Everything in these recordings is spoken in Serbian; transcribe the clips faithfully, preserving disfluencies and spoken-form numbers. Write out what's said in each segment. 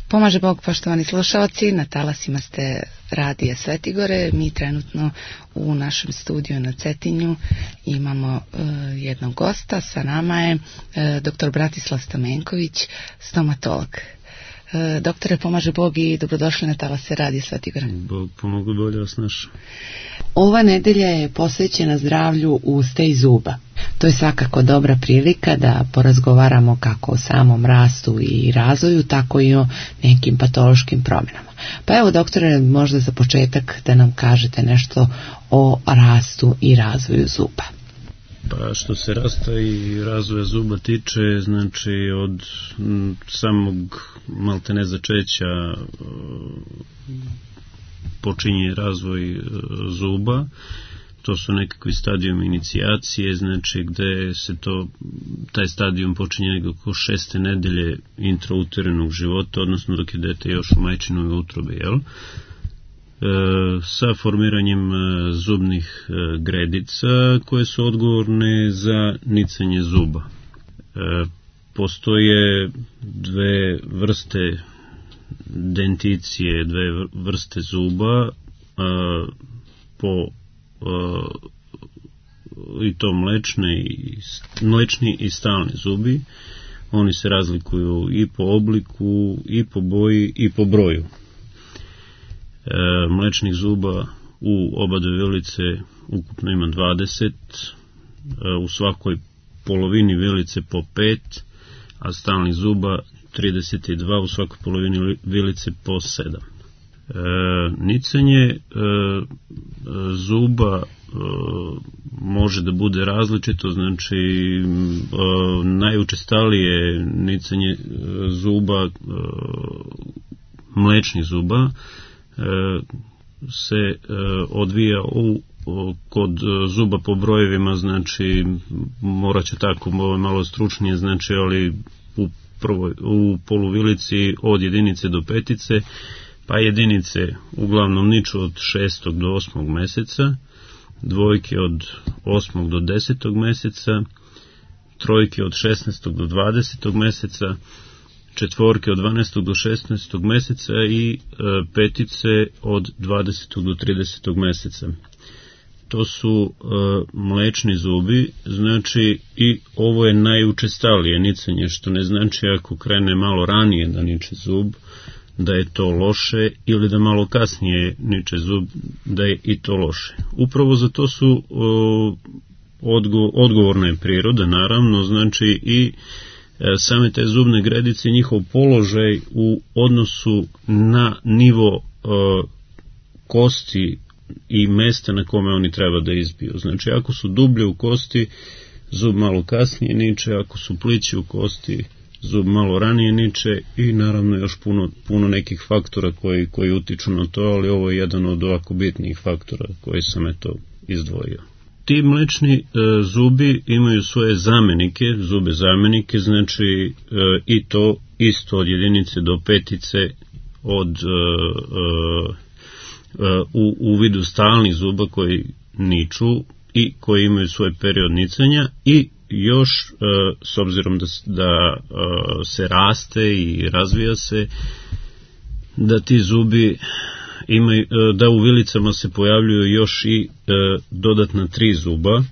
Pomaže Bog, poštovani slušalci, na talasima ste radija Svetigore. Mi trenutno u našem studiju na Cetinju imamo uh, jednog gosta. Sa nama je uh, doktor Bratislav Stamenković, stomatolog. Uh, doktore, pomaže Bog i dobrodošli na talase radija Svetigore. Bog pomogu, bolje vas našao. Ova nedelja je posvećena zdravlju usta i zuba. To je svakako dobra prilika da porazgovaramo kako o samom rastu i razvoju, tako i o nekim patološkim promjenama. Pa evo, doktore, možda za početak da nam kažete nešto o rastu i razvoju zuba. Pa što se rasta i razvoja zuba tiče, znači od m, samog maltene začeća počinje razvoj e, zuba. To su nekakvi stadijum inicijacije, znači gde se to, taj stadijum počinje nekako šeste nedelje intrauterenog života, odnosno dok je dete još u majčinoj utrobi, jel? E, sa formiranjem e, zubnih e, gredica koje su odgovorne za nicanje zuba. E, postoje dve vrste denticije, dve vrste zuba, e, po Uh, i to mlečne i, mlečni i stalni zubi. Oni se razlikuju i po obliku, i po boji, i po broju. E, mlečnih zuba u oba dve vilice ukupno ima dvadeset, e, u svakoj polovini vilice po pet, a stalnih zuba trideset dva, u svakoj polovini vilice po sedam. E, nicanje e, zuba e, može da bude različito, znači e, najučestalije nicanje e, zuba, e, mlečnih zuba, e, se e, odvija u, o, kod zuba po brojevima, znači morat ću tako malo stručnije, znači ali u, prvoj, u poluvilici od jedinice do petice, pa jedinice uglavnom niču od šestog do osmog meseca, dvojke od osmog do desetog meseca, trojke od šesnaestog do dvadesetog meseca, četvorke od dvanaestog do šesnaestog meseca i e, petice od dvadesetog do tridesetog meseca. To su e, mlečni zubi, znači i ovo je najučestalije nicanje, što ne znači ako krene malo ranije da niče zub, da je to loše, ili da malo kasnije niče zub, da je i to loše. Upravo za to su o, odgo, odgovorna je priroda, naravno, znači i e, same te zubne gredice, njihov položaj u odnosu na nivo e, kosti i mesta na kome oni treba da izbiju. Znači, ako su dublje u kosti, zub malo kasnije niče, ako su plići u kosti, zub malo ranije niče i naravno još puno, puno nekih faktora koji, koji utiču na to, ali ovo je jedan od ovako bitnijih faktora koji sam eto izdvojio. Ti mlečni e, zubi imaju svoje zamenike, zube zamenike, znači e, i to isto od jedinice do petice, od e, e, u, u vidu stalnih zuba koji niču i koji imaju svoj period nicanja i još, s obzirom da, da se raste i razvija se, da ti zubi imaju, da u vilicama se pojavljuju još i dodatna tri zuba,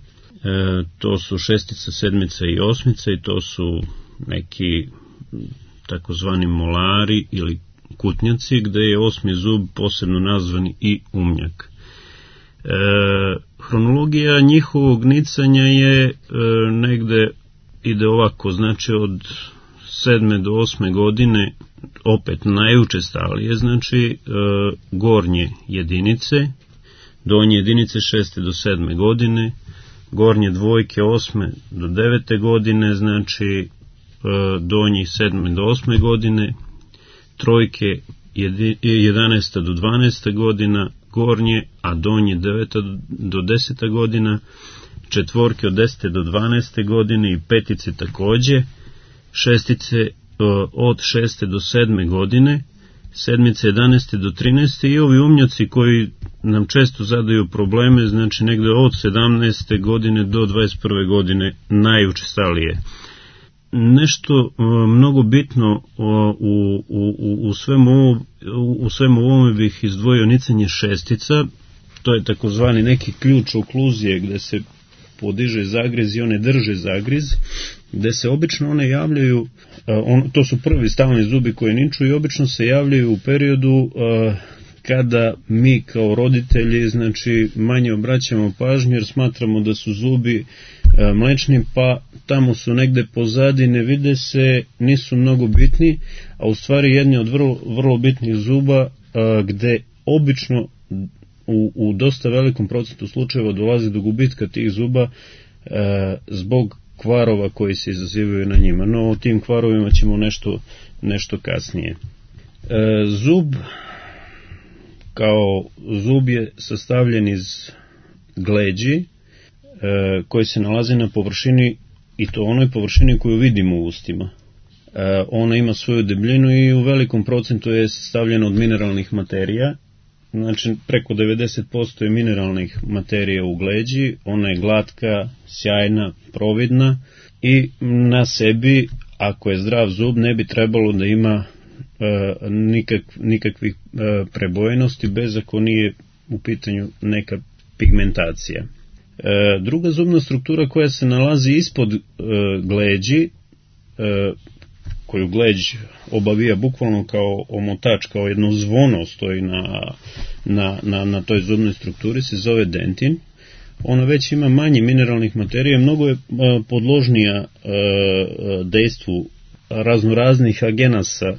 to su šestica, sedmica i osmica i to su neki takozvani molari ili kutnjaci, gde je osmi zub posebno nazvan i umnjak. E, hronologija njihovog nicanja je e, negde ide ovako, znači od sedme do osme godine, opet najučestalije, znači e, gornje jedinice, donje jedinice šeste do sedme godine, gornje dvojke osme do devete godine, znači e, donji sedme do osme godine, trojke jedanaesta do dvanaeste godina, gornje, a donje deveta do deseta godina, četvorke od desete do dvanaeste godine i petice takođe, šestice od šeste do sedme godine, sedmice jedanaeste do trinaeste i ovi umnjaci koji nam često zadaju probleme, znači negde od sedamnaeste godine do dvadeset prve godine najučestalije. nešto mnogo bitno u, u, u, svemu ovom, u svemu ovome bih izdvojio nicanje šestica. To je takozvani neki ključ okluzije gde se podiže zagriz i one drže zagriz, gde se obično one javljaju, on, to su prvi stalni zubi koji niču i obično se javljaju u periodu kada mi kao roditelji znači manje obraćamo pažnju jer smatramo da su zubi mlečni, pa tamo su negde pozadi, ne vide se, nisu mnogo bitni, a u stvari jedni od vrlo, vrlo bitnih zuba gde obično u, u dosta velikom procentu slučajeva dolazi do gubitka tih zuba zbog kvarova koji se izazivaju na njima. No o tim kvarovima ćemo nešto, nešto kasnije. Zub kao zub je sastavljen iz gleđi koji se nalazi na površini, i to onoj površini koju vidimo u ustima. Ona ima svoju debljinu i u velikom procentu je sastavljena od mineralnih materija, znači preko devedeset posto je mineralnih materija u gleđi, ona je glatka, sjajna, providna i na sebi, ako je zdrav zub, ne bi trebalo da ima e, nikak, nikakvih e, prebojenosti, bez ako nije u pitanju neka pigmentacija. E, druga zubna struktura koja se nalazi ispod e, gleđi, e, koju gleđ obavija bukvalno kao omotač, kao jedno zvono stoji na, na, na, na toj zubnoj strukturi, se zove dentin. Ona već ima manje mineralnih materija, mnogo je e, podložnija e, dejstvu raznoraznih agenasa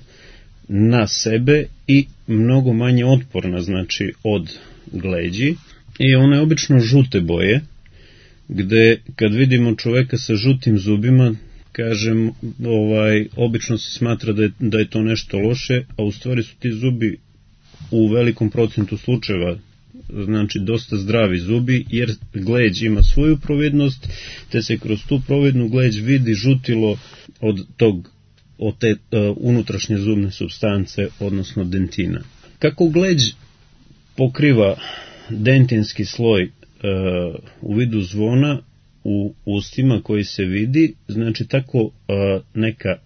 na sebe i mnogo manje otporna, znači od gleđi. I ona je obično žute boje, gde kad vidimo čoveka sa žutim zubima, kažem, ovaj, obično se smatra da je, da je to nešto loše, a u stvari su ti zubi u velikom procentu slučajeva, znači dosta zdravi zubi, jer gleđ ima svoju providnost, te se kroz tu providnu gleđ vidi žutilo od tog, od te uh, unutrašnje zubne supstance, odnosno dentina. Kako gleđ pokriva dentinski sloj uh, u vidu zvona u ustima koji se vidi, znači tako uh, neka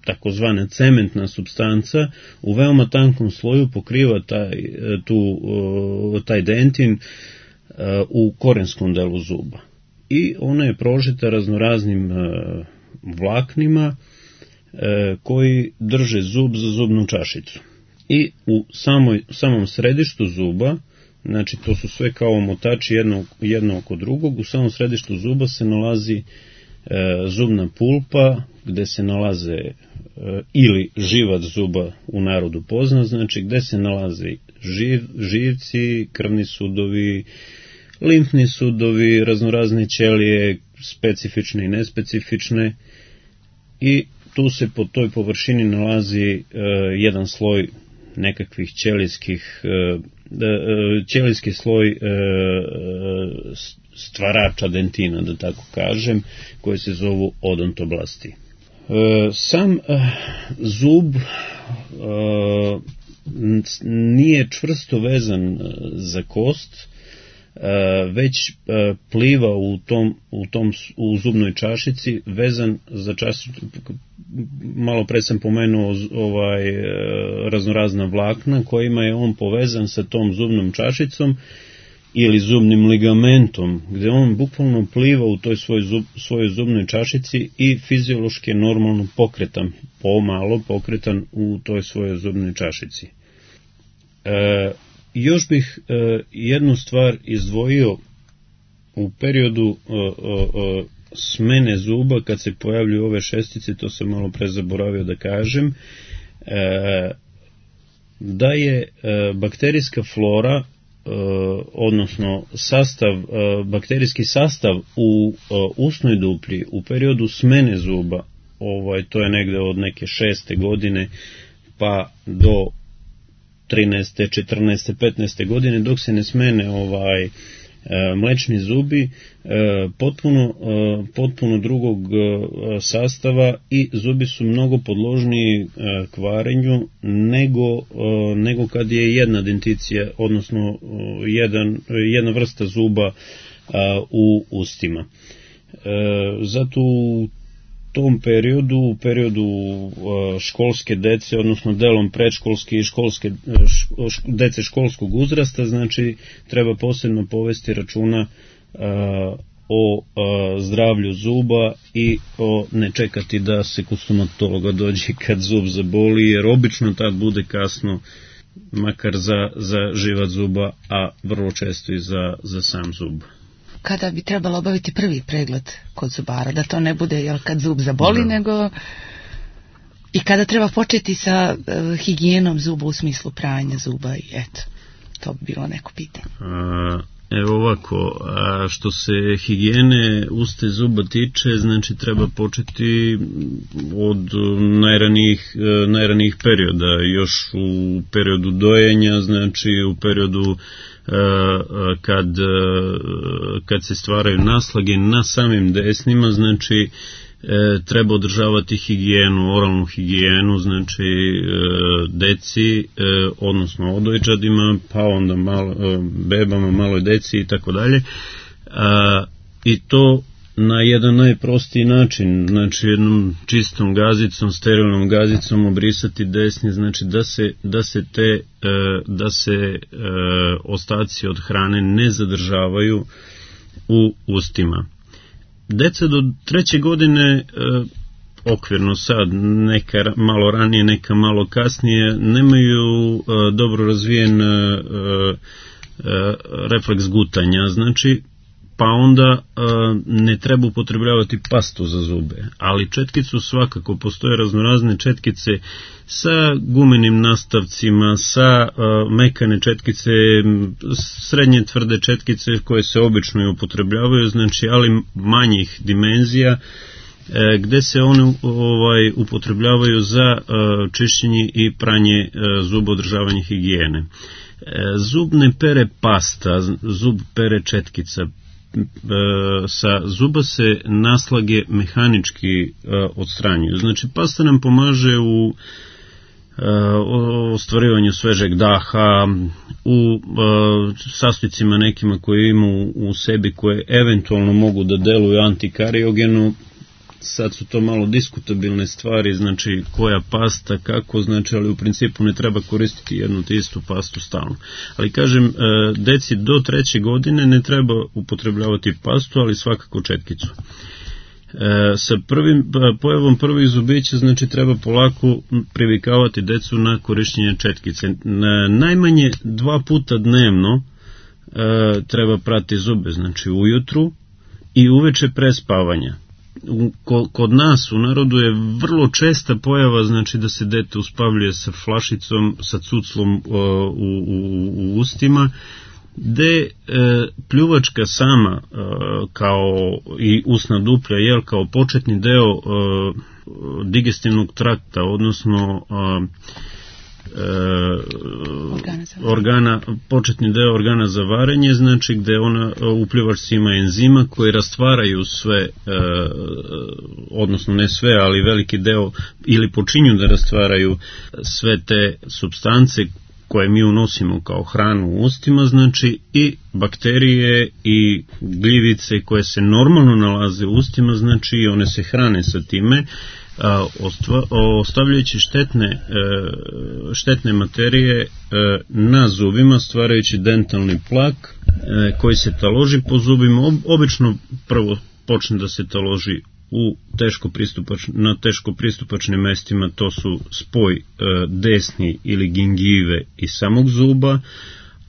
takozvana cementna supstanca u veoma tankom sloju pokriva taj, tu, uh, taj dentin uh, u korenskom delu zuba. I ona je prožeta raznoraznim uh, vlaknima uh, koji drže zub za zubnu čašicu. I u samoj, samom središtu zuba, znači to su sve kao omotači jedno, jedno oko drugog, u samom središtu zuba se nalazi e, zubna pulpa, gde se nalaze e, ili živac zuba u narodu poznat, znači gde se nalaze živ, živci, krvni sudovi, limfni sudovi, raznorazne ćelije, specifične i nespecifične, i tu se po toj površini nalazi e, jedan sloj nekakvih ćelijskih e, ćelijski sloj stvarača dentina, da tako kažem, koji se zovu odontoblasti. Sam zub nije čvrsto vezan za kost, već pliva u tom, u tom u zubnoj čašici, vezan za čašicu. Malo pre sam pomenuo ovaj, raznorazna vlakna kojima je on povezan sa tom zubnom čašicom ili zubnim ligamentom, gde on bukvalno pliva u toj svoj zub, svojoj zubnoj čašici i fiziološki je normalno pokretan, pomalo pokretan u toj svojoj zubnoj čašici. E, još bih e, jednu stvar izdvojio u periodu e, e, smene zuba, kad se pojavljuju ove šestice, to sam malo pre zaboravio da kažem, e, da je e, bakterijska flora, e, odnosno sastav, e, bakterijski sastav u e, usnoj duplji u periodu smene zuba, ovaj, to je negde od neke šeste godine pa do trinaeste, četrnaeste, petnaeste godine, dok se ne smene ovaj mlečni zubi, potpuno, potpuno drugog sastava, i zubi su mnogo podložniji kvarenju nego, nego kad je jedna denticija, odnosno jedan, jedna vrsta zuba u ustima. Zato u tom periodu, u periodu školske dece, odnosno delom predškolske i školske, dece školskog uzrasta, znači treba posebno povesti računa o zdravlju zuba i o ne čekati da se kod stomatologa dođe kad zub zaboli, jer obično tad bude kasno, makar za, za živac zuba, a vrlo često i za, za sam zub. Kada bi trebalo obaviti prvi pregled kod zubara, da to ne bude jel, kad zub zaboli, da. nego i kada treba početi sa uh, higijenom zuba u smislu pranja zuba i eto, to bi bilo neko pitanje. A, evo ovako, a što se higijene usta i zuba tiče, znači treba početi od najranijih, najranijih perioda, još u periodu dojenja, znači u periodu kad, kad se stvaraju naslage na samim desnima, znači treba održavati higijenu, oralnu higijenu, znači deci, odnosno odojčadima, pa onda malo, bebama, maloj deci i tako dalje. I to na jedan najprostiji način, znači jednom čistom gazicom, sterilnom gazicom obrisati desni, znači da se, da se te, da se ostaci od hrane ne zadržavaju u ustima. Deca do treće godine, okvirno sad, neka malo ranije, neka malo kasnije, nemaju dobro razvijen refleks gutanja, znači pa onda e, ne treba upotrebljavati pastu za zube, ali četkicu svakako, postoje raznorazne četkice sa gumenim nastavcima, sa e, mekane četkice, srednje tvrde četkice koje se obično i upotrebljavaju, znači ali manjih dimenzija, e, gde se one ovaj, upotrebljavaju za e, čišćenje i pranje e, zuba, održavanje higijene. E, zub ne pere pasta, zub pere četkica. Sa zuba se naslage mehanički odstranjuju. Znači pasta nam pomaže u ostvarivanju svežeg daha, u sastojcima nekima koje imaju u sebi koje eventualno mogu da deluju antikariogeno. Sad su to malo diskutabilne stvari, znači koja pasta, kako, znači, ali u principu ne treba koristiti jednu te istu pastu stalno. Ali kažem, deci do treće godine ne treba upotrebljavati pastu, ali svakako četkicu. Sa prvim, pojavom prvih zubića, znači treba polako privikavati decu na korišćenje četkice. Najmanje dva puta dnevno treba prati zube, znači ujutru i uveče pre spavanja. Kod nas u narodu je vrlo česta pojava, znači da se dete uspavljuje sa flašicom, sa cuclom u, u, u ustima, gde e, pljuvačka sama e, kao i usna duplja, jel, kao početni deo e, digestivnog trakta, odnosno e, Organa organa, početni deo organa za varenje, znači gde ona u pljuvačci ima enzima koji rastvaraju sve, e, odnosno ne sve, ali veliki deo, ili počinju da rastvaraju sve te supstance koje mi unosimo kao hranu u ustima, znači i bakterije i gljivice koje se normalno nalaze u ustima, znači i one se hrane sa time, ostavljajući štetne, štetne materije na zubima, stvarajući dentalni plak koji se taloži po zubima. Obično prvo počne da se taloži u teško pristupač, na teško pristupačnim mestima, to su spoj desni ili gingive i samog zuba,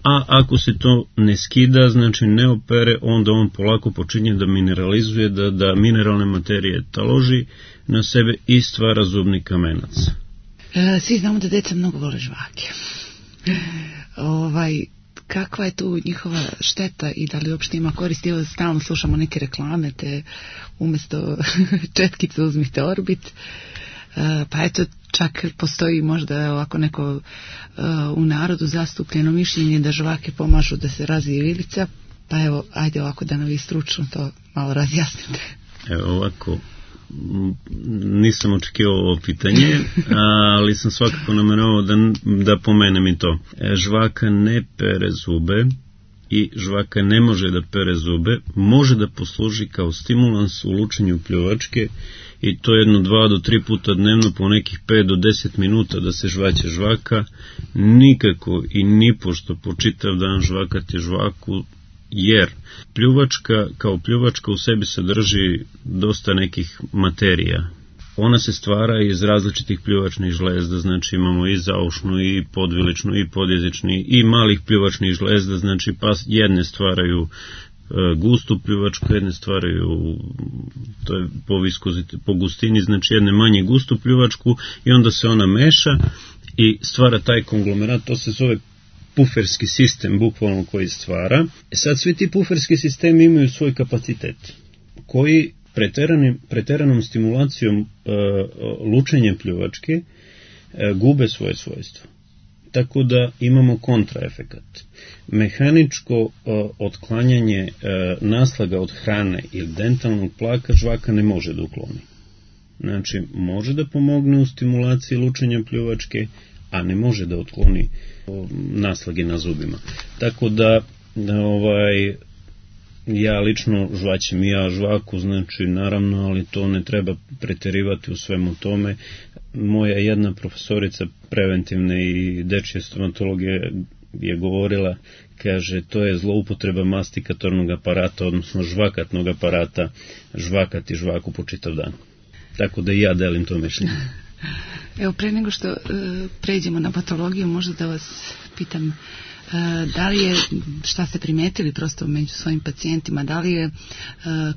a ako se to ne skida, znači ne opere, onda on polako počinje da mineralizuje, da, da mineralne materije taloži na sebe i stvara zubni kamenac. E, svi znamo da deca mnogo vole žvake. ovaj, kakva je tu njihova šteta i da li uopšte ima koristi? Evo, stalno slušamo neke reklame, te umjesto četkice uzmite Orbit. E, pa eto, čak postoji možda ovako neko uh, u narodu zastupljeno mišljenje da žvake pomažu da se razvije vilica, pa evo, ajde ovako da nam vi stručno to malo razjasnite. Evo ovako, nisam očekivao ovo pitanje, ali sam svakako nameravao da, da pomenem i to. Žvaka ne pere zube, i žvaka ne može da pere zube, može da posluži kao stimulans u lučenju pljuvačke i to jedno dva do tri puta dnevno po nekih pet do deset minuta da se žvaće žvaka, nikako i nipošto po čitav dan žvakati žvaku, jer pljuvačka kao pljuvačka u sebi sadrži dosta nekih materija. Ona se stvara iz različitih pljuvačnih žlezda, znači imamo i zaušnu, i podviličnu, i podjezični, i malih pljuvačnih žlezda, znači pa jedne stvaraju gustu pljuvačku, jedne stvaraju, to je po, viskozite, po gustini, znači jedne manje gustu pljuvačku i onda se ona meša i stvara taj konglomerat, to se zove puferski sistem, bukvalno koji stvara. E sad svi ti puferski sistemi imaju svoj kapacitet, koji preteranim, preteranom stimulacijom e, lučenja pljuvačke e, gube svoje svojstvo. Tako da imamo kontraefekat. Mehaničko e, otklanjanje e, naslaga od hrane ili dentalnog plaka žvaka ne može da ukloni. Znači, može da pomogne u stimulaciji lučenja pljuvačke, a ne može da otkloni naslage na zubima. Tako da, da ovaj, ja lično žvaćem i ja žvaku, znači naravno, ali to ne treba preterivati u svemu tome. Moja jedna profesorica preventivne i dečje stomatologije je govorila, kaže, to je zloupotreba mastikatornog aparata, odnosno žvakatnog aparata, žvakati žvaku po čitav dan. Tako da i ja delim to mišljenje. Evo, pre nego što e, pređemo na patologiju, možda da vas pitam, e, da li je, šta ste primetili prosto među svojim pacijentima, da li je e,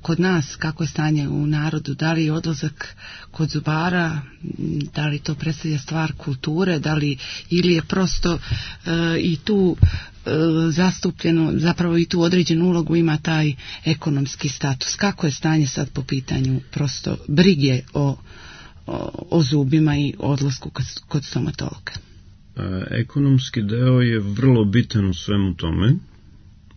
kod nas, kako je stanje u narodu, da li je odlazak kod zubara, da li to predstavlja stvar kulture, da li, ili je prosto e, i tu e, zastupljeno, zapravo i tu određenu ulogu ima taj ekonomski status. Kako je stanje sad po pitanju prosto brige o O, o zubima i odlasku kod, kod stomatologa? Ekonomski deo je vrlo bitan u svemu tome.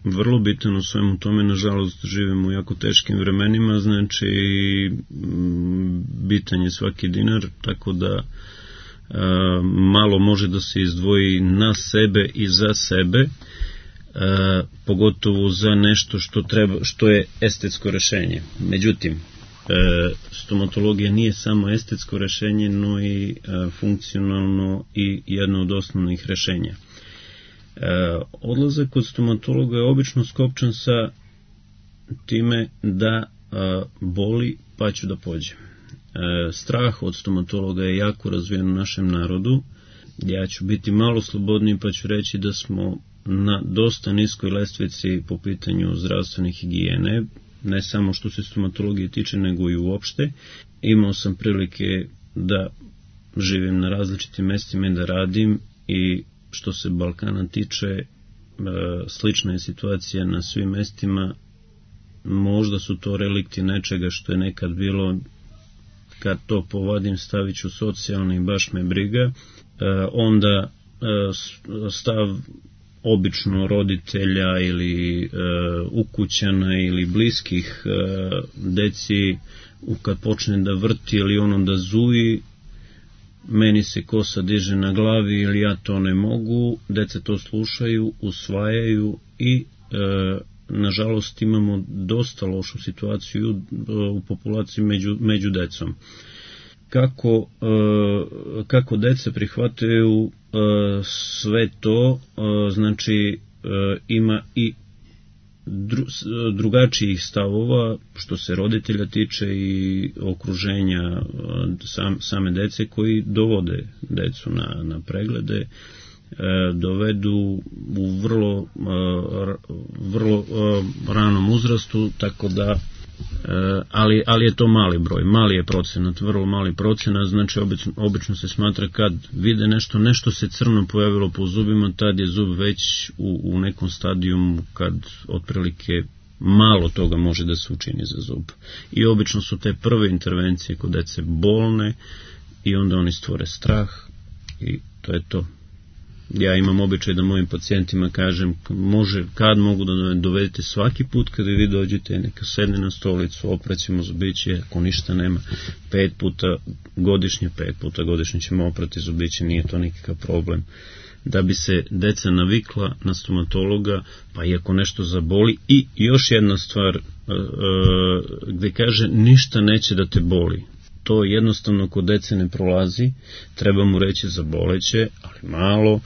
Vrlo bitan u svemu tome. Nažalost, živimo u jako teškim vremenima, znači bitan je svaki dinar, tako da a, malo može da se izdvoji na sebe i za sebe, a, pogotovo za nešto što, treba, što je estetsko rešenje. Međutim, E, stomatologija nije samo estetsko rešenje, no i e, funkcionalno i jedno od osnovnih rešenja. E, odlazak kod stomatologa je obično skopčan sa time da e, boli pa ću da pođem. E, strah od stomatologa je jako razvijen u našem narodu. Ja ću biti malo slobodniji pa ću reći da smo na dosta niskoj lestvici po pitanju zdravstvene higijene, ne samo što se stomatologije tiče, nego i uopšte. Imao sam prilike da živim na različitim mestima i da radim, i što se Balkana tiče, slična je situacija na svim mestima. Možda su to relikti nečega što je nekad bilo, kad to povadim stavit ću socijalno i baš me briga, onda stav obično roditelja ili e, ukućana ili bliskih e, deci, kad počne da vrti ili ono da zuji, meni se kosa diže na glavi ili ja to ne mogu, deca to slušaju, usvajaju i e, nažalost imamo dosta lošu situaciju e, u populaciji među, među decom. Kako, e, kako deca prihvataju e, sve to, e, znači e, ima i dru, drugačijih stavova što se roditelja tiče i okruženja e, sam, same dece koji dovode decu na, na preglede, e, dovedu u vrlo, e, vrlo e, ranom uzrastu, tako da ali, ali je to mali broj, mali je procenat, vrlo mali procenat, znači obično, obično se smatra kad vide nešto, nešto se crno pojavilo po zubima, tad je zub već u, u nekom stadijumu kad otprilike malo toga može da se učini za zub. I obično su te prve intervencije kod dece bolne i onda oni stvore strah i to je to. Ja imam običaj da mojim pacijentima kažem, može, kad mogu da dovedete svaki put kada vi dođete, neka sedne na stolicu, opraćemo zubiće, ako ništa nema, pet puta godišnje, pet puta godišnje ćemo oprati zubiće, nije to nikakav problem. Da bi se deca navikla na stomatologa, pa i ako nešto zaboli. I još jedna stvar, gde kaže ništa neće da te boli. To jednostavno kod dece ne prolazi, treba mu reći zaboleće, ali malo,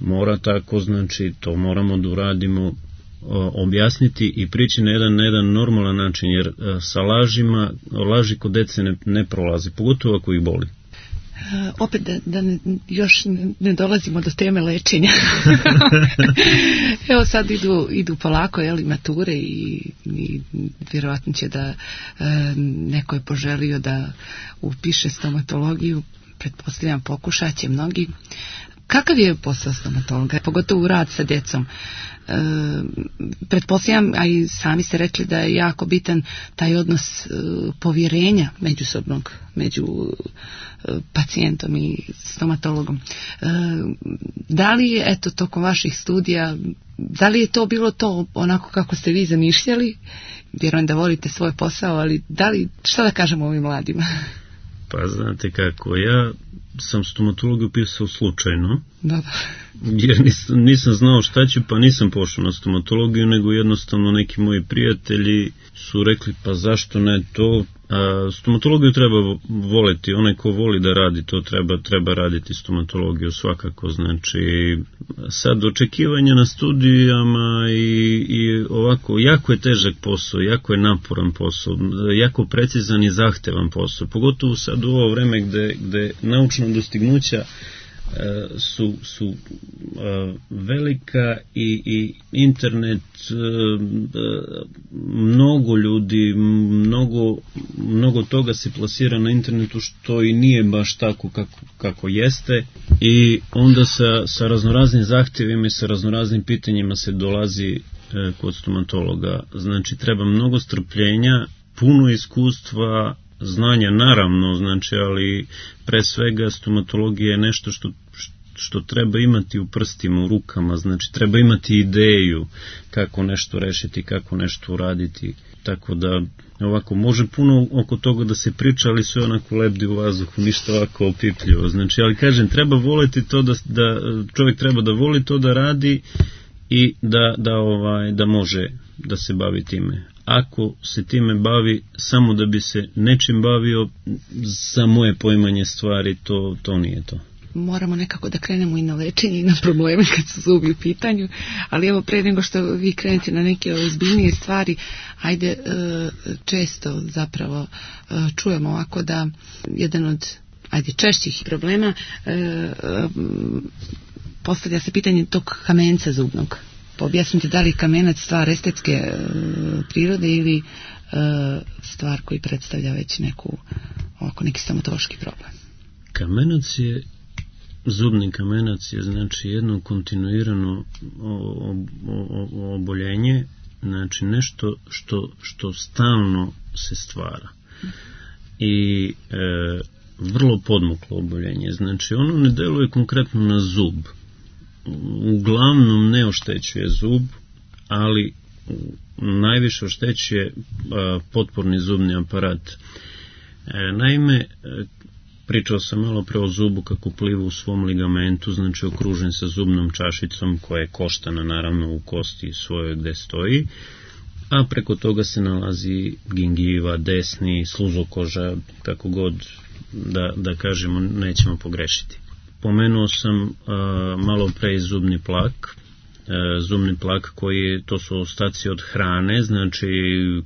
mora tako, znači to moramo da uradimo, objasniti i prići na jedan, na jedan normalan način, jer sa lažima, laži kod dece ne, ne prolazi, pogotovo ako ih boli. Uh, opet da, da ne, još ne, ne dolazimo do teme lečenja. Evo sad idu, idu polako, jeli, mature i, i vjerovatno će da e, neko je poželio da upiše stomatologiju, pretpostavljam pokušat će mnogi. Kakav je posao stomatologa, pogotovo rad sa djecom? E, pretpostavljam, a i sami ste rekli da je jako bitan taj odnos e, povjerenja međusobnog među e, pacijentom i stomatologom. E, da li je, eto, tokom vaših studija, da li je to bilo to onako kako ste vi zamišljali? Vjerujem da volite svoj posao, ali da li, šta da kažemo ovim mladima? Pa znate kako, ja sam stomatologiju upisao slučajno. Dobro. Jer nisam, nisam znao šta ću, pa nisam pošao na stomatologiju, nego jednostavno neki moji prijatelji su rekli, pa zašto ne to. A, stomatologiju treba voleti, onaj ko voli da radi to treba, treba raditi stomatologiju svakako, znači sad očekivanja na studijama i, i ovako, jako je težak posao, jako je naporan posao, jako precizan i zahtevan posao, pogotovo sad u ovo vreme gde, gde naučna dostignuća su, su uh, velika i, i internet, uh, mnogo ljudi, mnogo, mnogo toga se plasira na internetu što i nije baš tako kako, kako jeste, i onda sa, sa raznoraznim zahtjevima i sa raznoraznim pitanjima se dolazi uh, kod stomatologa. Znači treba mnogo strpljenja, puno iskustva, znanja naravno, znači, ali pre svega stomatologija je nešto što, što treba imati u prstima, u rukama, znači treba imati ideju kako nešto rešiti, kako nešto uraditi, tako da ovako može puno oko toga da se priča, ali sve onako lebdi u vazduhu, ništa ovako opipljivo, znači, ali kažem, treba voleti to da, da čovjek treba da voli to da radi i da, da, ovaj, da može da se bavi time. Ako se time bavi samo da bi se nečim bavio, za moje poimanje stvari, to, to nije to. Moramo nekako da krenemo i na lečenje i na probleme kad su zubi u pitanju, ali evo, pre nego što vi krenete na neke ozbiljnije stvari, ajde, često zapravo čujemo ovako da jedan od, ajde, češćih problema, postavlja se pitanje tog kamenca zubnog. Objasnite, da li kamenac stvar estetske e, prirode ili e, stvar koji predstavlja već neku, ovako, neki stomatološki problem? Kamenac je, zubni kamenac je, znači, jedno kontinuirano o, o, o, oboljenje, znači nešto što, što stalno se stvara i e, vrlo podmuklo oboljenje, znači ono ne deluje konkretno na zub, uglavnom ne oštećuje zub, ali najviše oštećuje a, potporni zubni aparat. E, naime, pričao sam malo pre o zubu kako pliva u svom ligamentu, znači okružen sa zubnom čašicom koja je koštana naravno u kosti svojoj gde stoji, a preko toga se nalazi gingiva, desni, sluzokoža, kako god da, da kažemo, nećemo pogrešiti. Pomenuo sam uh, malo pre zubni plak, uh, zubni plak koji, to su ostaci od hrane, znači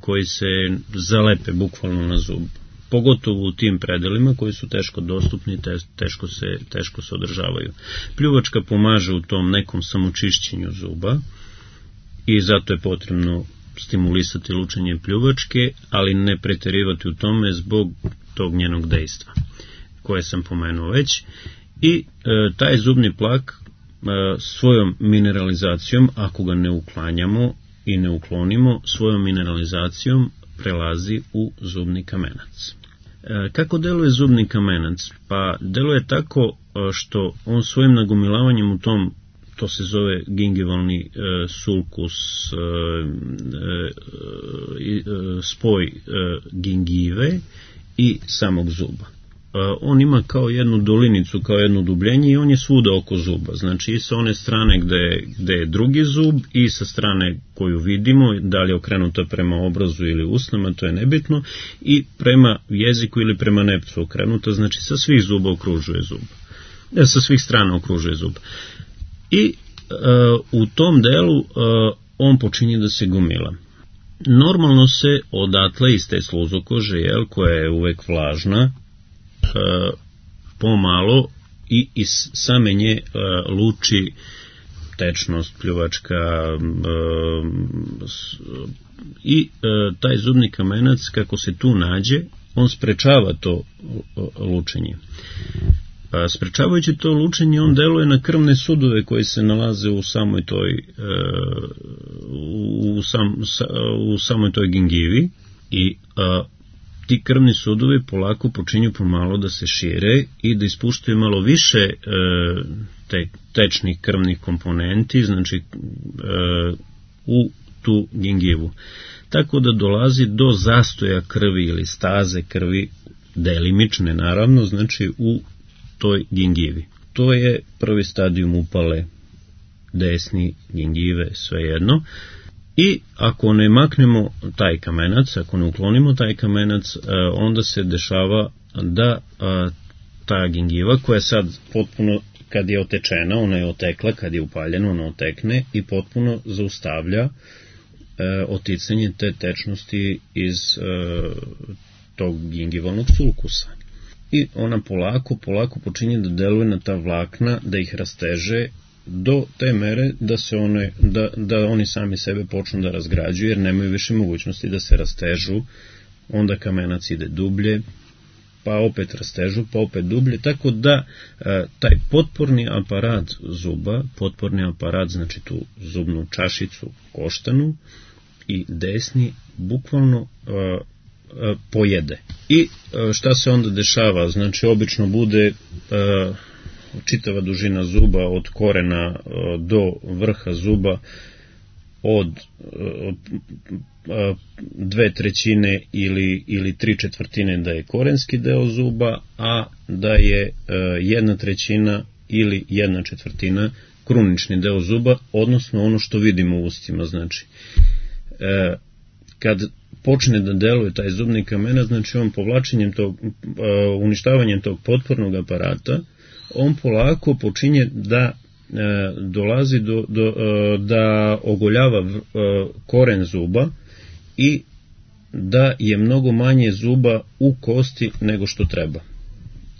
koji se zalepe bukvalno na zub, pogotovo u tim predelima koji su teško dostupni, te, teško, se, teško se održavaju. Pljuvačka pomaže u tom nekom samočišćenju zuba i zato je potrebno stimulisati lučenje pljuvačke, ali ne preterivati u tome zbog tog njenog dejstva koje sam pomenuo već. I e, taj zubni plak e, svojom mineralizacijom, ako ga ne uklanjamo i ne uklonimo, svojom mineralizacijom prelazi u zubni kamenac. Kako deluje zubni kamenac? Pa deluje tako što on svojim nagomilavanjem u tom, to se zove gingivalni e, sulkus, e, e, spoj e, gingive i samog zuba. E, on ima kao jednu dolinicu, kao jedno dubljenje i on je svuda oko zuba. Znači i sa one strane gde, gde je drugi zub i sa strane koju vidimo, da li je okrenuta prema obrazu ili usnama, to je nebitno, i prema jeziku ili prema nepcu okrenuta, znači sa svih zuba okružuje zub. E, sa svih strana okružuje zub. I e, u tom delu e, on počinje da se gomila. Normalno se odatle iz te sluzokože, jel, koja je uvek vlažna, e, pomalo i iz same nje e, luči tečnost, pljuvačka e, s, i e, taj zubni kamenac, kako se tu nađe, on sprečava to e, lučenje. Sprečavajući to lučenje, on deluje na krvne sudove koji se nalaze u samoj toj u, sam, u samoj toj gingivi i a, ti krvni sudovi polako počinju pomalo da se šire i da ispuštaju malo više e, te tečnih krvnih komponenti, znači e, u tu gingivu. Tako da dolazi do zastoja krvi ili staze krvi, delimične naravno, znači u toj gingivi. To je prvi stadijum upale desni gingive, svejedno. I ako ne maknemo taj kamenac, ako ne uklonimo taj kamenac, onda se dešava da ta gingiva, koja sad potpuno, kad je otečena, ona je otekla, kad je upaljena, ona otekne i potpuno zaustavlja oticanje te tečnosti iz tog gingivalnog sulkusa. I ona polako, polako počinje da deluje na ta vlakna, da ih rasteže do te mere da se one, da, da oni sami sebe počnu da razgrađuju, jer nemaju više mogućnosti da se rastežu, onda kamenac ide dublje, pa opet rastežu, pa opet dublje, tako da e, taj potporni aparat zuba, potporni aparat, znači tu zubnu čašicu koštanu i desni, bukvalno e, pojede. I šta se onda dešava? Znači, obično bude uh, čitava dužina zuba od korena uh, do vrha zuba od uh, uh, dve trećine ili, ili tri četvrtine da je korenski deo zuba, a da je uh, jedna trećina ili jedna četvrtina krunični deo zuba, odnosno ono što vidimo u ustima. Znači, uh, kad počne da deluje taj zubni kamenac, znači on povlačenjem tog, uh, uništavanjem tog potpornog aparata, on polako počinje da uh, dolazi do, do uh, da ogoljava uh, koren zuba i da je mnogo manje zuba u kosti nego što treba.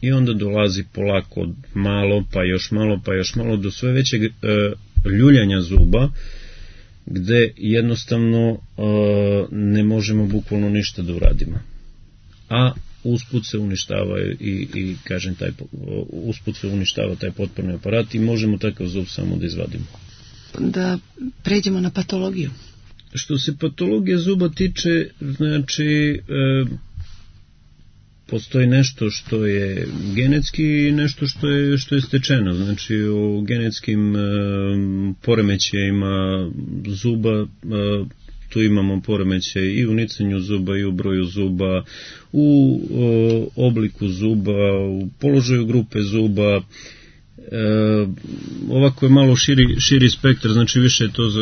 I onda dolazi polako malo, pa još malo, pa još malo, do sve većeg uh, ljuljanja zuba, gde jednostavno uh, ne možemo bukvalno ništa da uradimo. A usput se uništava i, i kažem, taj, usput se uništava taj potporni aparat i možemo takav zub samo da izvadimo. Da pređemo na patologiju. Što se patologije zuba tiče, znači e, postoji nešto što je genetski i nešto što je, što je stečeno. Znači o genetskim e, poremećajima zuba, e, tu imamo poremećaj i u nicanju zuba i u broju zuba, u e, obliku zuba, u položaju grupe zuba. E, ovako je malo širi, širi spektar, znači više je to za,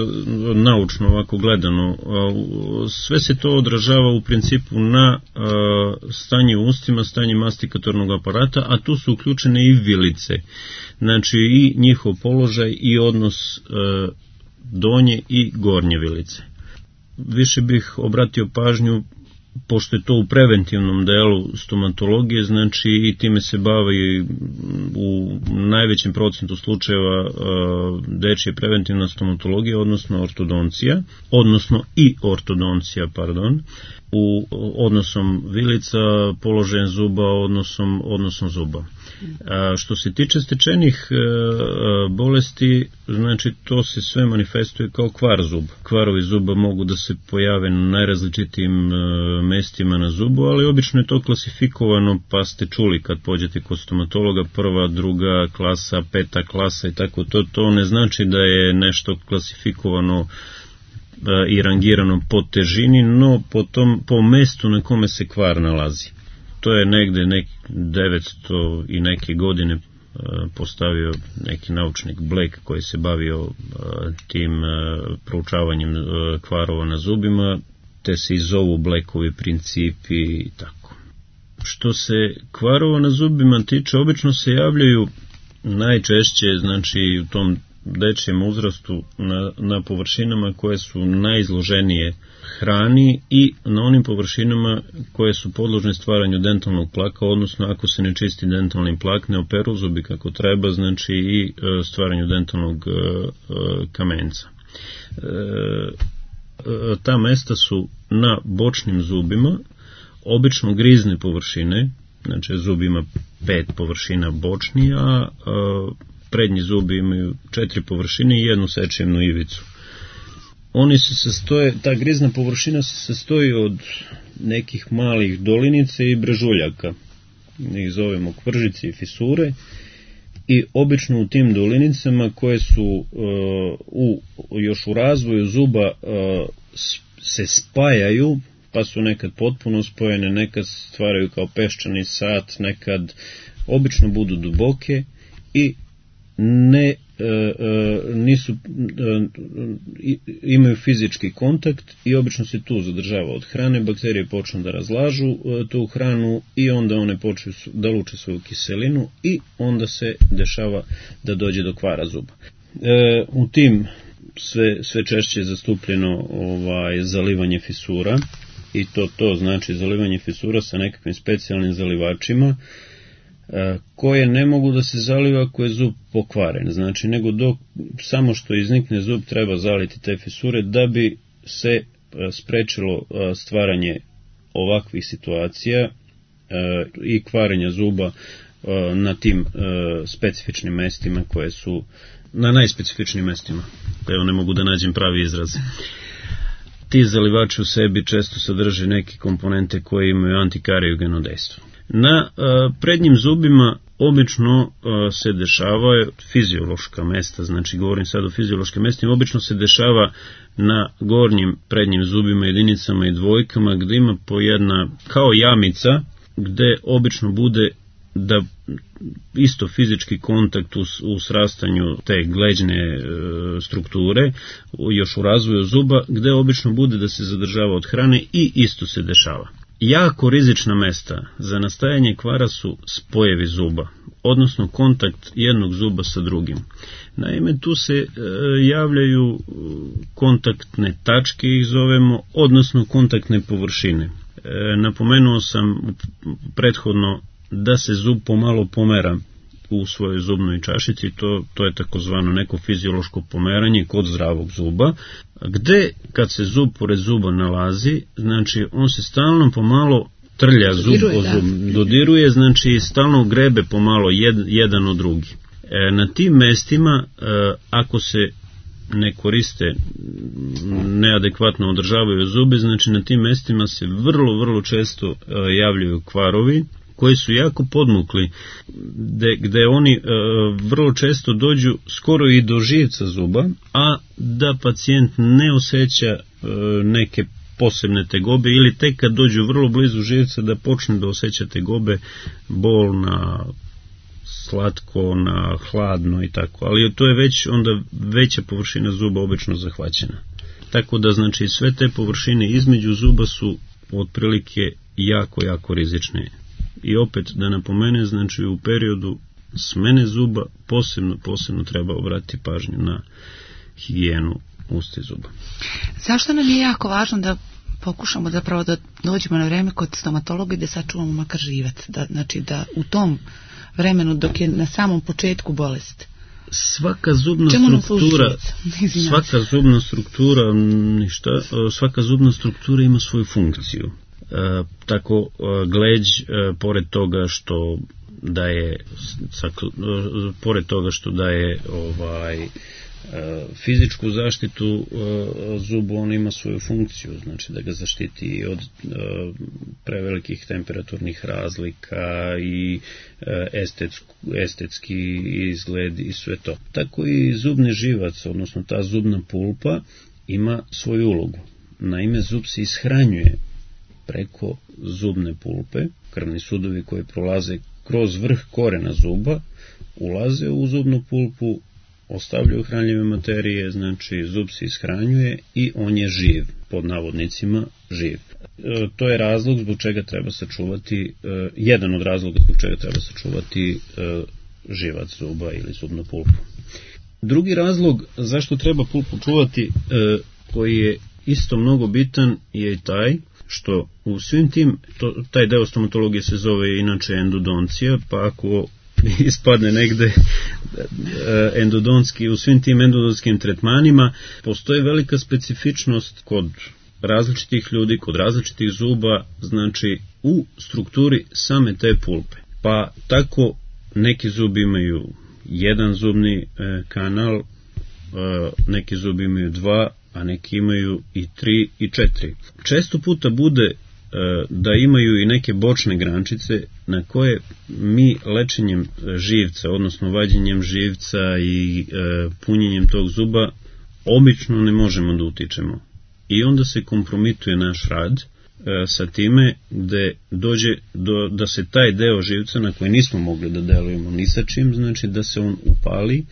naučno ovako gledano. E, sve se to odražava u principu na e, stanje u ustima, stanje mastikatornog aparata, a tu su uključene i vilice, znači i njihov položaj i odnos e, donje i gornje vilice. Više bih obratio pažnju, pošto je to u preventivnom delu stomatologije, znači i time se bavi u najvećem procentu slučajeva dečje preventivna stomatologija, odnosno ortodoncija, odnosno i ortodoncija, pardon, u odnosom vilica, položajem zuba, odnosom, odnosom zuba. A što se tiče stečenih a, bolesti, znači to se sve manifestuje kao kvar zuba. Kvarovi zuba mogu da se pojave na najrazličitijim a, mestima na zubu, ali obično je to klasifikovano, pa ste čuli kad pođete kod stomatologa, prva, druga klasa, peta klasa i tako, to, to ne znači da je nešto klasifikovano a, i rangirano po težini, no po, tom, po mestu na kome se kvar nalazi. To je negde nek devetsto i neke godine uh, postavio neki naučnik Blake koji se bavio uh, tim uh, proučavanjem uh, kvarova na zubima, te se i zovu Blakeovi principi i tako. Što se kvarova na zubima tiče, obično se javljaju najčešće, znači u tom dečijem uzrastu na, na površinama koje su najizloženije hrani i na onim površinama koje su podložne stvaranju dentalnog plaka, odnosno ako se ne čisti dentalni plak, ne operu zubi kako treba, znači i stvaranju dentalnog kamenca. Ta mesta su na bočnim zubima, obično grizne površine, znači zub ima pet površina bočni, a prednji zubi imaju četiri površine i jednu sečivnu ivicu. Oni se sastoje, ta grizna površina se sastoji od nekih malih dolinica i brežuljaka. Mi ih zovemo kvržice i fisure. I obično u tim dolinicama koje su uh, u, još u razvoju zuba uh, se spajaju, pa su nekad potpuno spojene, nekad stvaraju kao peščani sat, nekad obično budu duboke i ne e, e, nisu e, imaju fizički kontakt i obično se tu zadržava od hrane, bakterije počnu da razlažu e, tu hranu i onda one počnu da luče svoju kiselinu i onda se dešava da dođe do kvara zuba. E, u tim sve, sve češće je zastupljeno ovaj, zalivanje fisura i to, to znači zalivanje fisura sa nekakvim specijalnim zalivačima koje ne mogu da se zaliva ako je zub pokvaren, znači nego dok samo što iznikne zub treba zaliti te fisure da bi se sprečilo stvaranje ovakvih situacija i kvarenja zuba na tim specifičnim mestima koje su na najspecifičnim mestima. Evo ne mogu da nađem pravi izraz. Ti zalivači u sebi često sadrže neke komponente koje imaju antikariogeno dejstvo. Na a, prednjim zubima obično a, se dešava fiziološka mesta, znači govorim sad o fiziološkim mestima, obično se dešava na gornjim prednjim zubima, jedinicama i dvojkama, gde ima po jedna kao jamica, gde obično bude da isto fizički kontakt u, u srastanju te gleđne e, strukture, još u razvoju zuba, gde obično bude da se zadržava od hrane i isto se dešava. Jako rizična mesta za nastajanje kvara su spojevi zuba, odnosno kontakt jednog zuba sa drugim. Naime, tu se e, javljaju kontaktne tačke, ih zovemo, odnosno kontaktne površine. E, napomenuo sam prethodno da se zub pomalo pomera u svojoj zubnoj čašici, to, to je takozvano neko fiziološko pomeranje kod zdravog zuba, gde kad se zub pored zuba nalazi, znači on se stalno pomalo trlja zub o zub, dodiruje, znači stalno grebe pomalo jed, jedan od drugi. E, na tim mestima, e, ako se ne koriste, neadekvatno održavaju zube, znači na tim mestima se vrlo, vrlo često e, javljaju kvarovi, koji su jako podmukli, gde, gde oni e, vrlo često dođu skoro i do živca zuba, a da pacijent ne osjeća e, neke posebne tegobe ili tek kad dođu vrlo blizu živca da počne da osjeća tegobe, bol na slatko, na hladno i tako, ali to je već onda veća površina zuba obično zahvaćena. Tako da znači sve te površine između zuba su otprilike jako, jako rizične. I opet da napomene, znači u periodu smene zuba posebno, posebno treba obratiti pažnju na higijenu usta i zuba. Zašto nam je jako važno da pokušamo zapravo da dođemo na vreme kod stomatologa i da sačuvamo makar živac, da, znači da u tom vremenu dok je na samom početku bolest? Svaka zubna struktura, svaka zubna struktura, ništa, svaka zubna struktura ima svoju funkciju. E, tako gleđ, e, pored toga što da je pored toga što daje ovaj fizičku zaštitu zubu, on ima svoju funkciju, znači da ga zaštiti od prevelikih temperaturnih razlika i estetsku, estetski izgled i sve to. Tako i zubni živac, odnosno ta zubna pulpa, ima svoju ulogu. Naime, zub se ishranjuje preko zubne pulpe. Krvni sudovi koji prolaze kroz vrh korena zuba ulaze u zubnu pulpu, ostavljaju hranljive materije, znači zub se ishranjuje i on je živ, pod navodnicima živ. E, to je razlog zbog čega treba sačuvati, e, jedan od razloga zbog čega treba sačuvati e, živac zuba ili zubnu pulpu. Drugi razlog zašto treba pulpu čuvati, e, koji je isto mnogo bitan, je taj što u svim tim, to, taj deo stomatologije se zove inače endodoncija, pa ako ispadne negde endodontski, u svim tim endodonskim tretmanima postoji velika specifičnost kod različitih ljudi, kod različitih zuba, znači u strukturi same te pulpe. Pa tako neki zubi imaju jedan zubni kanal, neki zubi imaju dva, a neki imaju i tri i četiri. Često puta bude da imaju i neke bočne grančice na koje mi lečenjem živca, odnosno vađenjem živca i e, punjenjem tog zuba obično ne možemo da utičemo. I onda se kompromituje naš rad e, sa time da dođe do, da se taj deo živca na koji nismo mogli da delujemo ni sa čim, znači da se on upali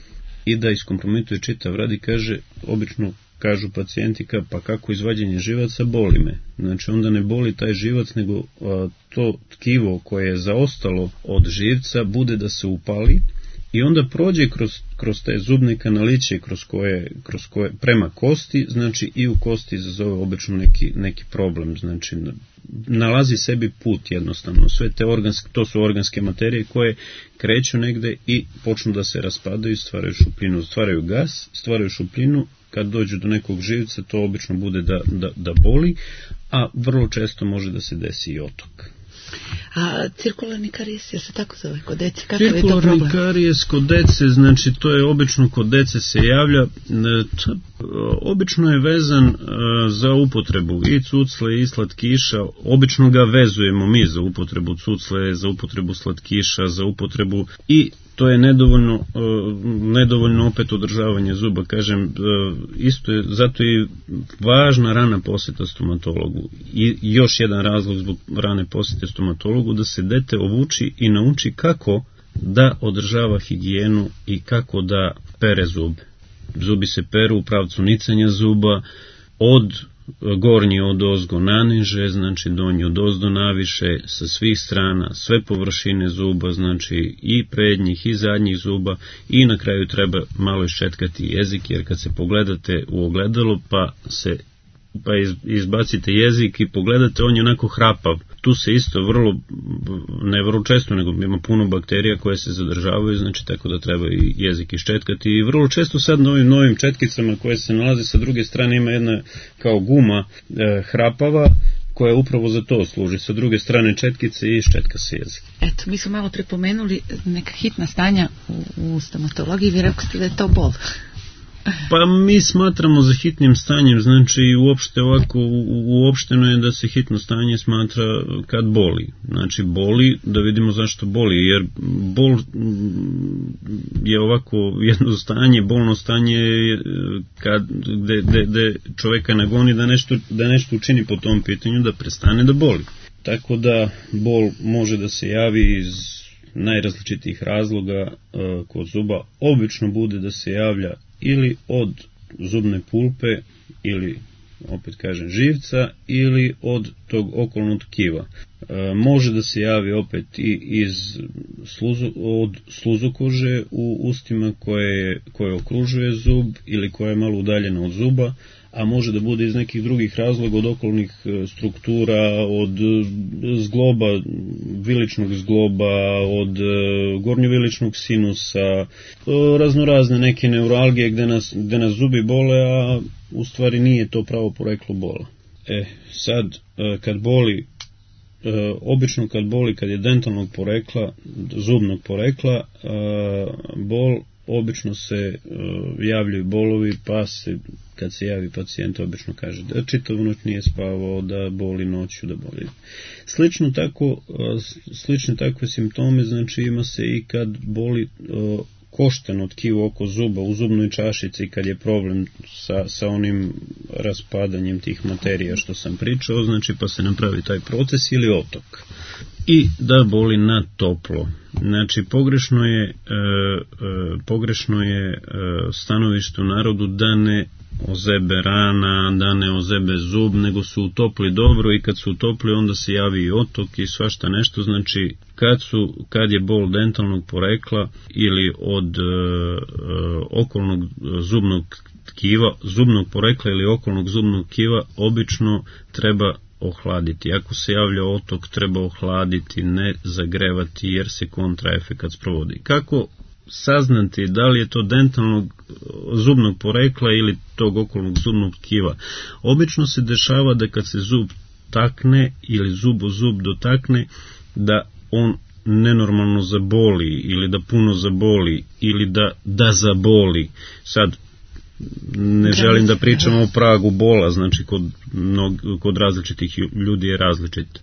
i da iskompromituje čitav rad i kaže, obično kažu pacijentika, pa kako izvađenje živaca, boli me. Znači onda ne boli taj živac, nego a, to tkivo koje je zaostalo od živca bude da se upali i onda prođe kroz, kroz te zubne kanaliće kroz koje, kroz koje, prema kosti, znači i u kosti izazove obično neki, neki problem, znači nalazi sebi put jednostavno. Sve te organske, to su organske materije koje kreću negde i počnu da se raspadaju, stvaraju šupljinu, stvaraju gas, stvaraju šupljinu. Kad dođu do nekog živca, to obično bude da, da, da boli, a vrlo često može da se desi i otok. A cirkularni karijes, je se tako zove kod dece? Kakav je to problem? Cirkularni karijes kod dece, znači to je obično kod dece se javlja, to, obično je vezan za upotrebu i cucle i slatkiša, obično ga vezujemo mi za upotrebu cucle, za upotrebu slatkiša, za upotrebu i to je nedovoljno, nedovoljno opet održavanje zuba, kažem, isto je, zato je važna rana poseta stomatologu. I još jedan razlog zbog rane posete stomatologu, da se dete obuči i nauči kako da održava higijenu i kako da pere zube. Zubi se peru u pravcu nicanja zuba, od gornji od ozgo naniže, znači donji od ozdo naviše, sa svih strana, sve površine zuba, znači i prednjih i zadnjih zuba, i na kraju treba malo iščetkati jezik, jer kad se pogledate u ogledalo pa se pa izbacite jezik i pogledate, on je onako hrapav. Tu se isto vrlo, ne vrlo često, nego ima puno bakterija koje se zadržavaju, znači tako da treba i jezik iščetkati. I vrlo često sad na ovim novim četkicama koje se nalaze sa druge strane ima jedna kao guma e, hrapava, koja upravo za to služi. Sa druge strane četkice i iščetka se jezik. Eto, mi smo malo prepomenuli neka hitna stanja u, u stomatologiji, vi rekli ste da je to bol. Pa mi smatramo za hitnim stanjem, znači uopšte ovako, uopšteno je da se hitno stanje smatra kad boli. Znači boli, da vidimo zašto boli, jer bol je ovako jedno stanje, bolno stanje kad, gde, gde, gde čoveka nagoni da nešto, da nešto učini po tom pitanju, da prestane da boli. Tako da bol može da se javi iz najrazličitijih razloga uh, kod zuba. Obično bude da se javlja ili od zubne pulpe, ili, opet kažem, živca, ili od tog okolnog tkiva. E, može da se javi opet i iz sluzu, od sluzokože u ustima koje, koje okružuje zub ili koja je malo udaljena od zuba, a može da bude iz nekih drugih razloga, od okolnih struktura, od zgloba, viličnog zgloba, od gornjoviličnog sinusa, raznorazne neke neuralgije gde nas, gde nas zubi bole, a u stvari nije to pravo poreklo bola. E, sad, kad boli obično kad boli, kad je dentalnog porekla, zubnog porekla, bol, obično se javljaju bolovi, pa se, kad se javi pacijent, obično kaže da čitavu noć nije spavao, da boli noću, da boli. Slično tako, slične takve simptome, znači ima se i kad boli košteno tkivo oko zuba u zubnoj čašici, kad je problem sa, sa onim raspadanjem tih materija što sam pričao, znači pa se napravi taj proces ili otok. I da boli na toplo. Znači pogrešno je, e, e, pogrešno je e, stanovište u narodu da ne ozebe rana, da ne ozebe zub, nego su utopli dobro i kad su utopli onda se javi i otok i svašta nešto, znači kad, su, kad je bol dentalnog porekla ili od e, okolnog zubnog tkiva, zubnog porekla ili okolnog zubnog tkiva, obično treba ohladiti. Ako se javlja otok, treba ohladiti, ne zagrevati jer se kontraefekat sprovodi. Kako saznati da li je to dentalnog zubnog porekla ili tog okolnog zubnog tkiva? Obično se dešava da kad se zub takne ili zub o zub dotakne, da on nenormalno zaboli ili da puno zaboli ili da, da zaboli. Sad, ne želim da pričamo o pragu bola, znači kod, mnog, kod različitih ljudi je različit. E,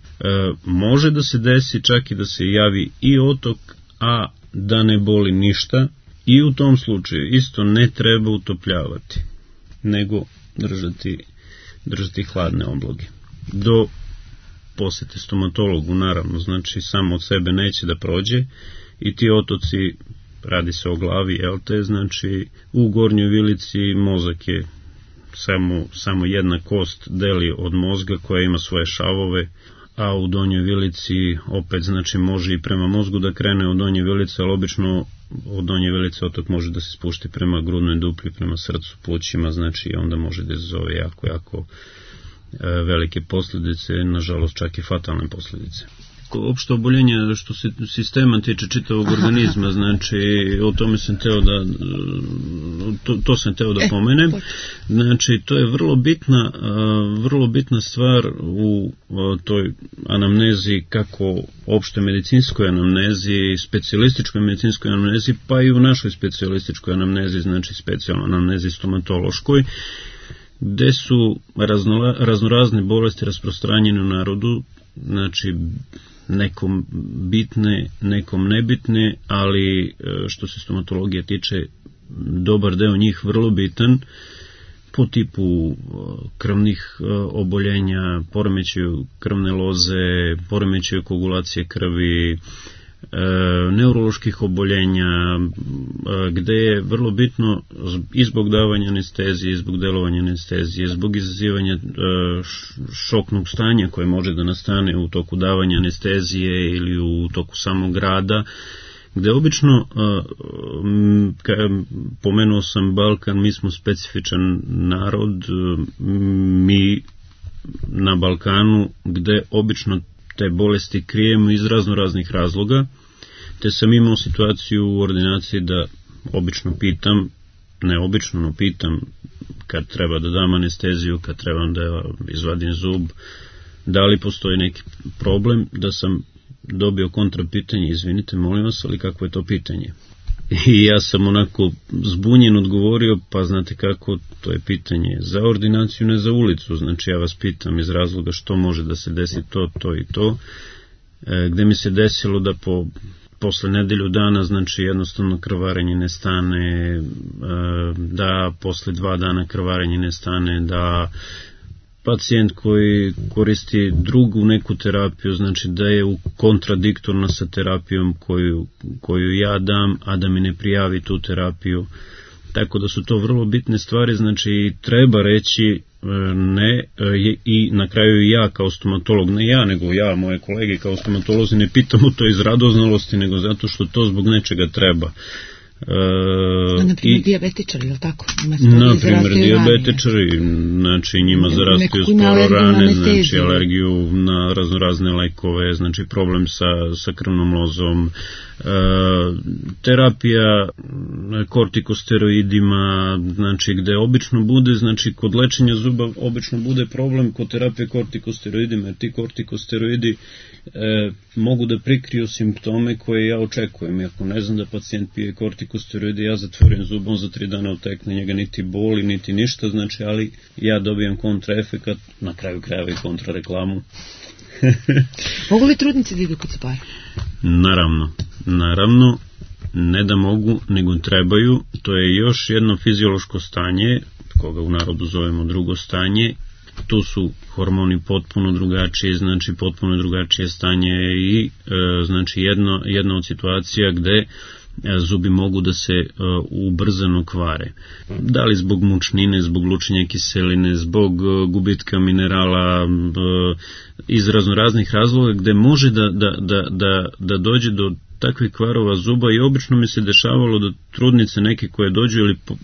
može da se desi čak i da se javi i otok, a da ne boli ništa, i u tom slučaju isto ne treba utopljavati, nego držati, držati hladne obloge. Do posete stomatologu, naravno, znači samo od sebe neće da prođe i ti otoci, radi se o glavi, jel te, znači u gornjoj vilici mozak je samo, samo jedna kost deli od mozga koja ima svoje šavove, a u donjoj vilici opet, znači može i prema mozgu da krene od donje vilice, ali obično od donje vilice otok može da se spušti prema grudnoj duplji, prema srcu, plućima, znači onda može da izazove jako, jako e, velike posljedice, nažalost čak i fatalne posljedice. Opšte oboljenje što se sistema tiče čitavog organizma, znači o tome sam teo da to, to sam teo da pomenem. Znači to je vrlo bitna vrlo bitna stvar u toj anamnezi, kako opšte medicinskoj anamnezi, specijalističkoj medicinskoj anamnezi, pa i u našoj specijalističkoj anamnezi, znači specijalno anamnezi stomatološkoj, gde su razno, raznorazne bolesti rasprostranjene u narodu, znači nekom bitne, nekom nebitne, ali što se stomatologije tiče, dobar deo njih vrlo bitan, po tipu krvnih oboljenja, poremećaju krvne loze, poremećaju koagulacije krvi, neuroloških oboljenja, gde je vrlo bitno i zbog davanja anestezije, zbog delovanja anestezije, zbog izazivanja šoknog stanja koje može da nastane u toku davanja anestezije ili u toku samog rada, gde obično, pomenuo sam Balkan, mi smo specifičan narod, mi na Balkanu, gde obično te bolesti krijemo iz razno raznih razloga, te sam imao situaciju u ordinaciji da obično pitam, ne obično, no pitam kad treba da dam anesteziju, kad trebam da izvadim zub, da li postoji neki problem, da sam dobio kontra pitanje, izvinite, molim vas, ali kako je to pitanje? I ja sam onako zbunjen odgovorio, pa znate kako, to je pitanje za ordinaciju, ne za ulicu, znači ja vas pitam iz razloga što može da se desi to, to i to, e, gde mi se desilo da po, posle nedelju dana, znači jednostavno krvarenje ne stane, e, da posle dva dana krvarenje ne stane, da pacijent koji koristi drugu neku terapiju, znači da je u kontradiktorno sa terapijom koju, koju ja dam, a da mi ne prijavi tu terapiju. Tako da su to vrlo bitne stvari, znači treba reći ne, i na kraju ja kao stomatolog, ne ja, nego ja, moje kolege kao stomatolozi, ne pitamo to iz radoznalosti, nego zato što to zbog nečega treba. Uh, na primjer i, dijabetičari, je li tako? Na primjer dijabetičari, znači njima zarastaju skoro rane, znači alergiju na razno razne lekove, znači problem sa, sa krvnom lozom, uh, terapija kortikosteroidima, znači gde obično bude, znači kod lečenja zuba obično bude problem kod terapije kortikosteroidima, jer ti kortikosteroidi E, mogu da prikriju simptome koje ja očekujem. Ako ne znam da pacijent pije kortikosteroide, ja zatvorim zubom za tri dana otekne, njega niti boli, niti ništa, znači, ali ja dobijam kontraefekat, na kraju krajeva i kontrareklamu. Mogu li trudnice da idu kod zubara? Naravno, naravno, ne da mogu, nego trebaju. To je još jedno fiziološko stanje, koga u narodu zovemo drugo stanje. Tu su hormoni potpuno drugačije, znači potpuno drugačije stanje i e, znači jedno, jedna od situacija gde e, zubi mogu da se e, ubrzano kvare. Da li zbog mučnine, zbog lučenja kiseline, zbog e, gubitka minerala, e, iz raznoraznih razloga gde može da, da, da, da, da dođe do takvih kvarova zuba i obično mi se dešavalo da trudnice neke koje dođu ili po,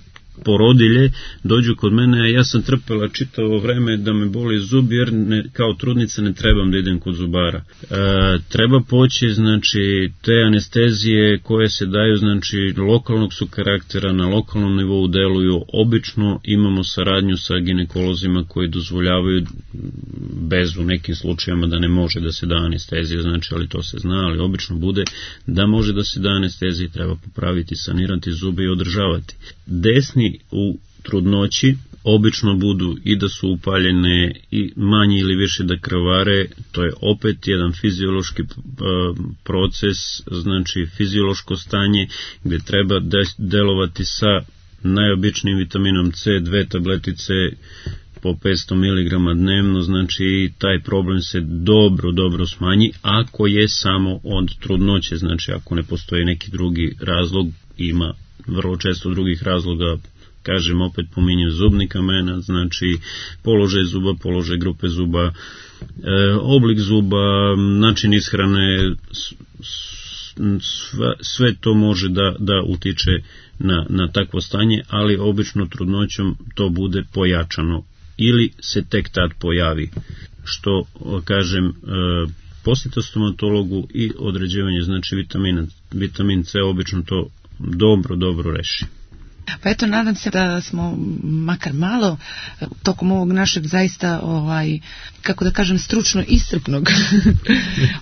porodilje dođu kod mene, a ja sam trpela čitavo vreme da me boli zub, jer ne, kao trudnica ne trebam da idem kod zubara. E, treba poći, znači, te anestezije koje se daju, znači, lokalnog su karaktera, na lokalnom nivou deluju, obično imamo saradnju sa ginekolozima koji dozvoljavaju bez u nekim slučajama da ne može da se da anestezija, znači, ali to se zna, ali obično bude da može da se da anestezija, treba popraviti, sanirati zube i održavati. Desni u trudnoći obično budu i da su upaljene i manje ili više da krvare, to je opet jedan fiziološki proces, znači fiziološko stanje gde treba delovati sa najobičnijim vitaminom C, dve tabletice po petsto miligrama dnevno, znači taj problem se dobro, dobro smanji ako je samo od trudnoće, znači ako ne postoji neki drugi razlog, ima vrlo često drugih razloga, kažem opet pominjem zubni kamenac, znači položaj zuba, položaj grupe zuba, e, oblik zuba, način ishrane, sve, sve to može da, da utiče na, na takvo stanje, ali obično trudnoćom to bude pojačano ili se tek tad pojavi, što kažem e, posjeta stomatologu i određivanje znači vitamina, vitamin C obično to dobro, dobro reši. Pa eto, nadam se da smo makar malo tokom ovog našeg zaista, ovaj, kako da kažem, stručno iscrpnog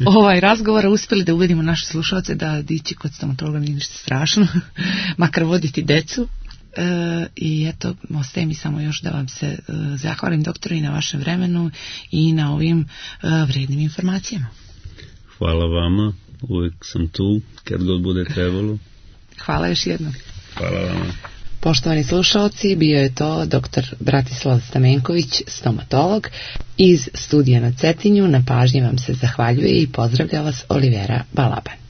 ovaj razgovora uspjeli da uvedimo naše slušalce da dići kod stomatologa nije ništa strašno, makar voditi decu. E, I eto, ostaje mi samo još da vam se e, zahvalim, doktore, i na vašem vremenu i na ovim e, vrednim informacijama. Hvala vama, uvijek sam tu kad god bude trebalo. Hvala još jednom. Hvala vama. Poštovani slušalci, bio je to doktor Bratislav Stamenković, stomatolog. Iz studija na Cetinju na pažnji vam se zahvaljuje i pozdravlja vas Olivera Balaban.